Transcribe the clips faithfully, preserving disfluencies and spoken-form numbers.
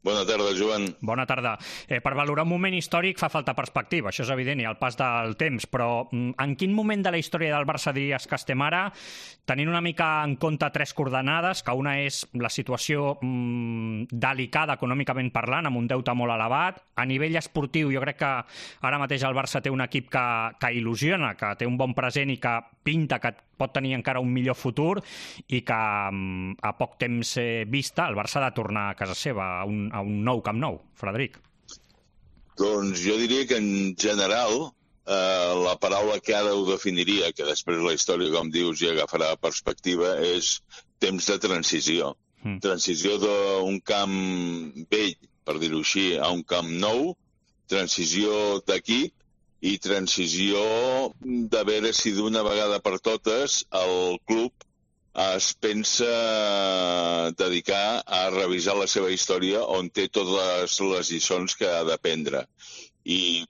Bona tarda, Joan. Bona tarda. Eh, per valorar un moment històric fa falta perspectiva, això és evident, i el pas del temps, però en quin moment de la història del Barça diries que estem ara, tenint una mica en compte tres coordenades, que una és la situació mm, delicada econòmicament parlant, amb un deute molt elevat. A nivell esportiu, jo crec que ara mateix el Barça té un equip que, que il·lusiona, que té un bon present i que pinta que pot tenir encara un millor futur i que a poc temps vista el Barça ha de tornar a casa seva, a un, a un nou Camp Nou. Frederic. Doncs jo diria que en general eh, la paraula que ara ho definiria, que després la història, com dius, ja agafarà perspectiva, és temps de transició. Mm. Transició d'un camp vell, per dir-ho així, a un camp nou, transició d'equip, i transició de veure si d'una vegada per totes el club es pensa dedicar a revisar la seva història on té totes les lliçons que ha d'aprendre. I,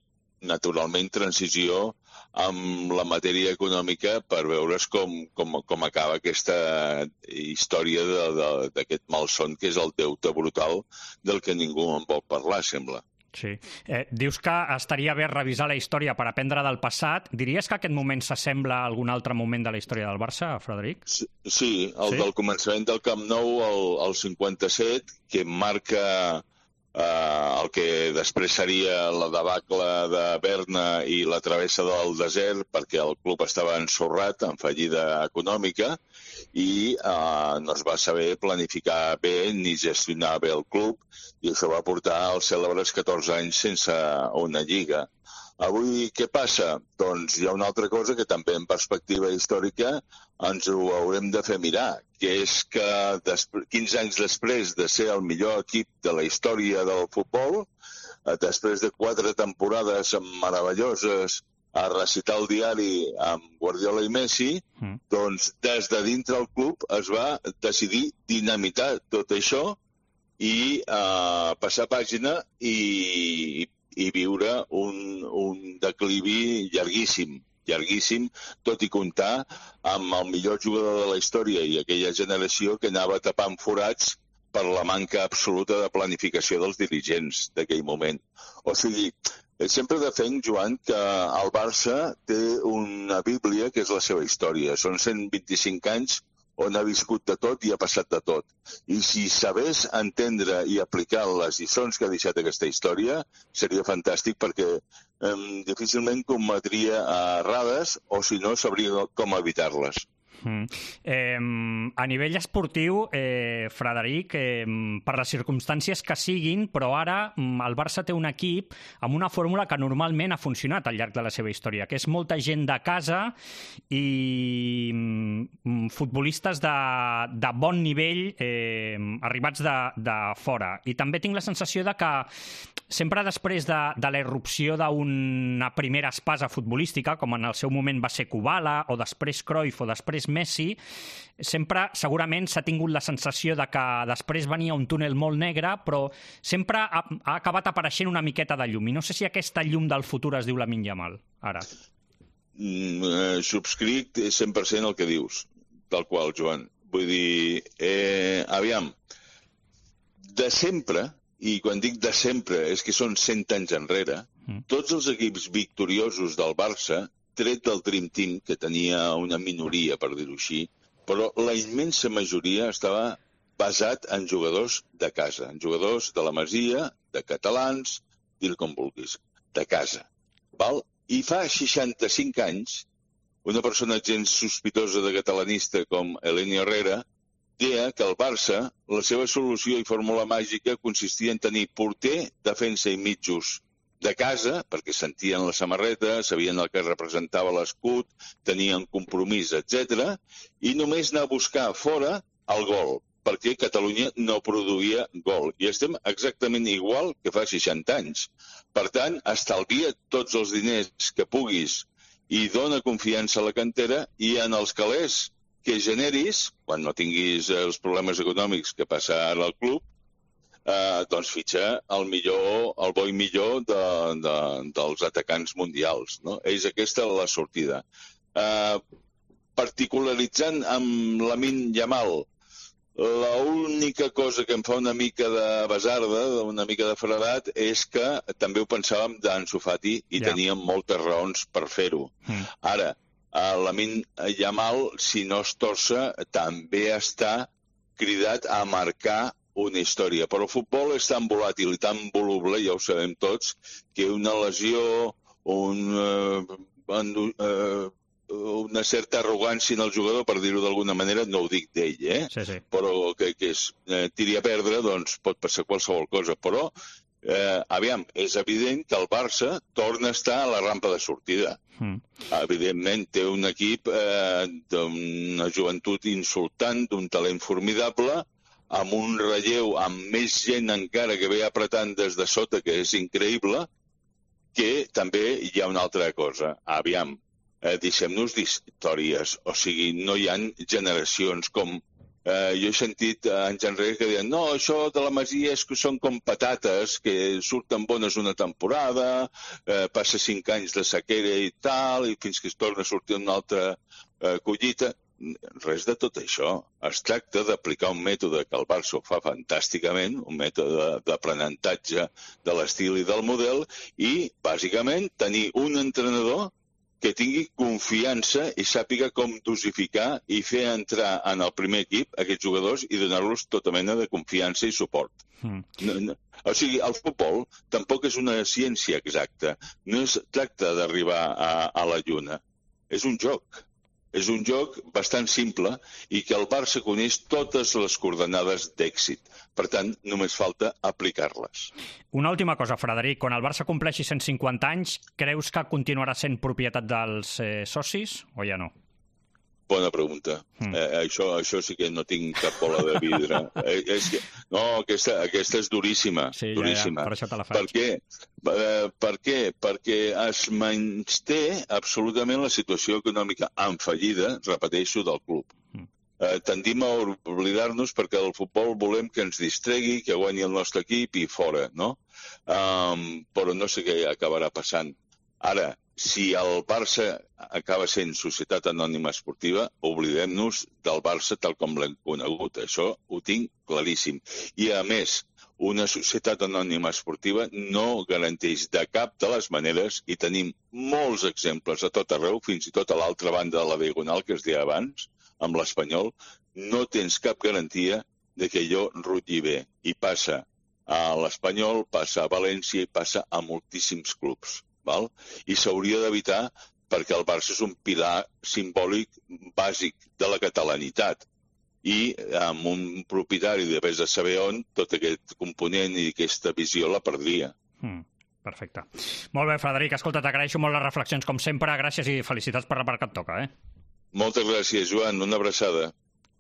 naturalment, transició amb la matèria econòmica per veure's com, com, com acaba aquesta història d'aquest malson que és el deute brutal del que ningú en vol parlar, sembla. Sí. Eh, dius que estaria bé revisar la història per aprendre del passat. Diries que aquest moment s'assembla a algun altre moment de la història del Barça, Frederic? Sí, sí el sí? del començament del Camp Nou, el, el cinquanta-set, que marca eh, el que després seria la debacle de Berna i la travessa del desert, perquè el club estava ensorrat, en fallida econòmica, i eh, no es va saber planificar bé ni gestionar bé el club, i això va portar als cèlebres catorze anys sense una lliga. Avui què passa? Doncs hi ha una altra cosa que també en perspectiva històrica ens ho haurem de fer mirar, que és que quinze anys després de ser el millor equip de la història del futbol, després de quatre temporades meravelloses a recitar el diari amb Guardiola i Messi, mm. doncs des de dintre el club es va decidir dinamitar tot això i uh, passar pàgina i, i viure un, un declivi llarguíssim, llarguíssim, tot i comptar amb el millor jugador de la història i aquella generació que anava tapant forats per la manca absoluta de planificació dels dirigents d'aquell moment. O sigui, sempre defenc, Joan, que el Barça té una bíblia que és la seva història. Són cent vint-i-cinc anys on ha viscut de tot i ha passat de tot. I si sabés entendre i aplicar les lliçons que ha deixat aquesta història, seria fantàstic perquè eh, difícilment cometria errades o, si no, sabria com evitar-les. Mm. Eh, a nivell esportiu, eh, Frederic, eh, per les circumstàncies que siguin, però ara el Barça té un equip amb una fórmula que normalment ha funcionat al llarg de la seva història, que és molta gent de casa i mm, futbolistes de, de bon nivell eh, arribats de, de fora. I també tinc la sensació de que sempre després de, de la irrupció d'una primera espasa futbolística, com en el seu moment va ser Kubala, o després Cruyff, o després Messi, sempre segurament s'ha tingut la sensació de que després venia un túnel molt negre, però sempre ha, ha acabat apareixent una miqueta de llum. I no sé si aquesta llum del futur es diu Lamine Yamal, ara. Mm, eh, subscric cent per cent el que dius, tal qual, Joan. Vull dir, eh, aviam, de sempre, i quan dic de sempre és que són cent anys enrere, mm. tots els equips victoriosos del Barça, tret del Dream Team, que tenia una minoria, per dir-ho així, però la immensa majoria estava basat en jugadors de casa, en jugadors de la Masia, de catalans, dir com vulguis, de casa. Val? I fa seixanta-cinc anys, una persona gens sospitosa de catalanista com Eleni Herrera deia que el Barça, la seva solució i fórmula màgica consistia en tenir porter, defensa i mitjos de casa, perquè sentien la samarreta, sabien el que representava l'escut, tenien compromís, etcètera, i només anar a buscar fora el gol, perquè Catalunya no produïa gol. I estem exactament igual que fa seixanta anys. Per tant, estalvia tots els diners que puguis i dona confiança a la cantera, i en els calés que generis, quan no tinguis els problemes econòmics que passa ara al club, Eh, doncs fitxa el millor, el bo i millor de, de, dels atacants mundials, no? És aquesta la sortida. Eh, particularitzant amb Lamine Yamal, L'única cosa que em fa una mica de basarda, una mica de fredat, és que també ho pensàvem d'Ansu Fati i ja. teníem moltes raons per fer-ho. Mm. Ara, Lamine Yamal, si no es torça, també està cridat a marcar una història. Però el futbol és tan volàtil i tan voluble, ja ho sabem tots, que una lesió, un, uh, uh, una certa arrogància en el jugador, per dir-ho d'alguna manera, no ho dic d'ell, eh? Sí, sí. Però que, que es eh, tiri a perdre, doncs pot passar qualsevol cosa. Però, eh, aviam, és evident que el Barça torna a estar a la rampa de sortida. Mm. Evidentment, té un equip eh, d'una joventut insultant, d'un talent formidable, amb un relleu, amb més gent encara que ve apretant des de sota, que és increïble, que també hi ha una altra cosa. Aviam, eh, deixem-nos d'històries. O sigui, no hi ha generacions com... Eh, jo he sentit anys enrere que deien no, això de la Masia és que són com patates, que surten bones una temporada, eh, passa cinc anys de sequera i tal, i fins que es torna a sortir una altra eh, collita. Res de tot això. Es tracta d'aplicar un mètode que el Barça ho fa fantàsticament, un mètode d'aprenentatge de l'estil i del model, i, bàsicament, tenir un entrenador que tingui confiança i sàpiga com dosificar i fer entrar en el primer equip aquests jugadors i donar-los tota mena de confiança i suport. Mm. No, no. O sigui, el futbol tampoc és una ciència exacta. No es tracta d'arribar a, a la lluna. És un joc. És un joc bastant simple i que el Barça coneix totes les coordenades d'èxit. Per tant, només falta aplicar-les. Una última cosa, Frederic. Quan el Barça compleixi cent cinquanta anys, creus que continuarà sent propietat dels eh, socis o ja no? Bona pregunta. Mm. Eh, això, això sí que no tinc cap bola de vidre. eh, és que, no, aquesta, aquesta és duríssima. Sí, duríssima. Ja, ja, per això te la faig. Per què? Eh, per què? Perquè es menysté absolutament la situació econòmica en fallida, repeteixo, del club. Mm. Eh, tendim a oblidar-nos perquè el futbol volem que ens distregui, que guanyi el nostre equip i fora, no? Um, però no sé què acabarà passant. Ara, si el Barça acaba sent societat anònima esportiva, oblidem-nos del Barça tal com l'hem conegut. Això ho tinc claríssim. I, a més, una societat anònima esportiva no garanteix de cap de les maneres, i tenim molts exemples a tot arreu, fins i tot a l'altra banda de la Diagonal, que es deia abans, amb l'Espanyol, no tens cap garantia de que allò rutlli bé. I passa a l'Espanyol, passa a València i passa a moltíssims clubs. Val? I s'hauria d'evitar perquè el Barça és un pilar simbòlic bàsic de la catalanitat i amb un propietari de vés a saber on tot aquest component i aquesta visió la perdria. Mm, perfecte. Molt bé, Frederic, escolta, t'agraeixo molt les reflexions com sempre, gràcies i felicitats per la part que et toca. Eh? Moltes gràcies, Joan, una abraçada.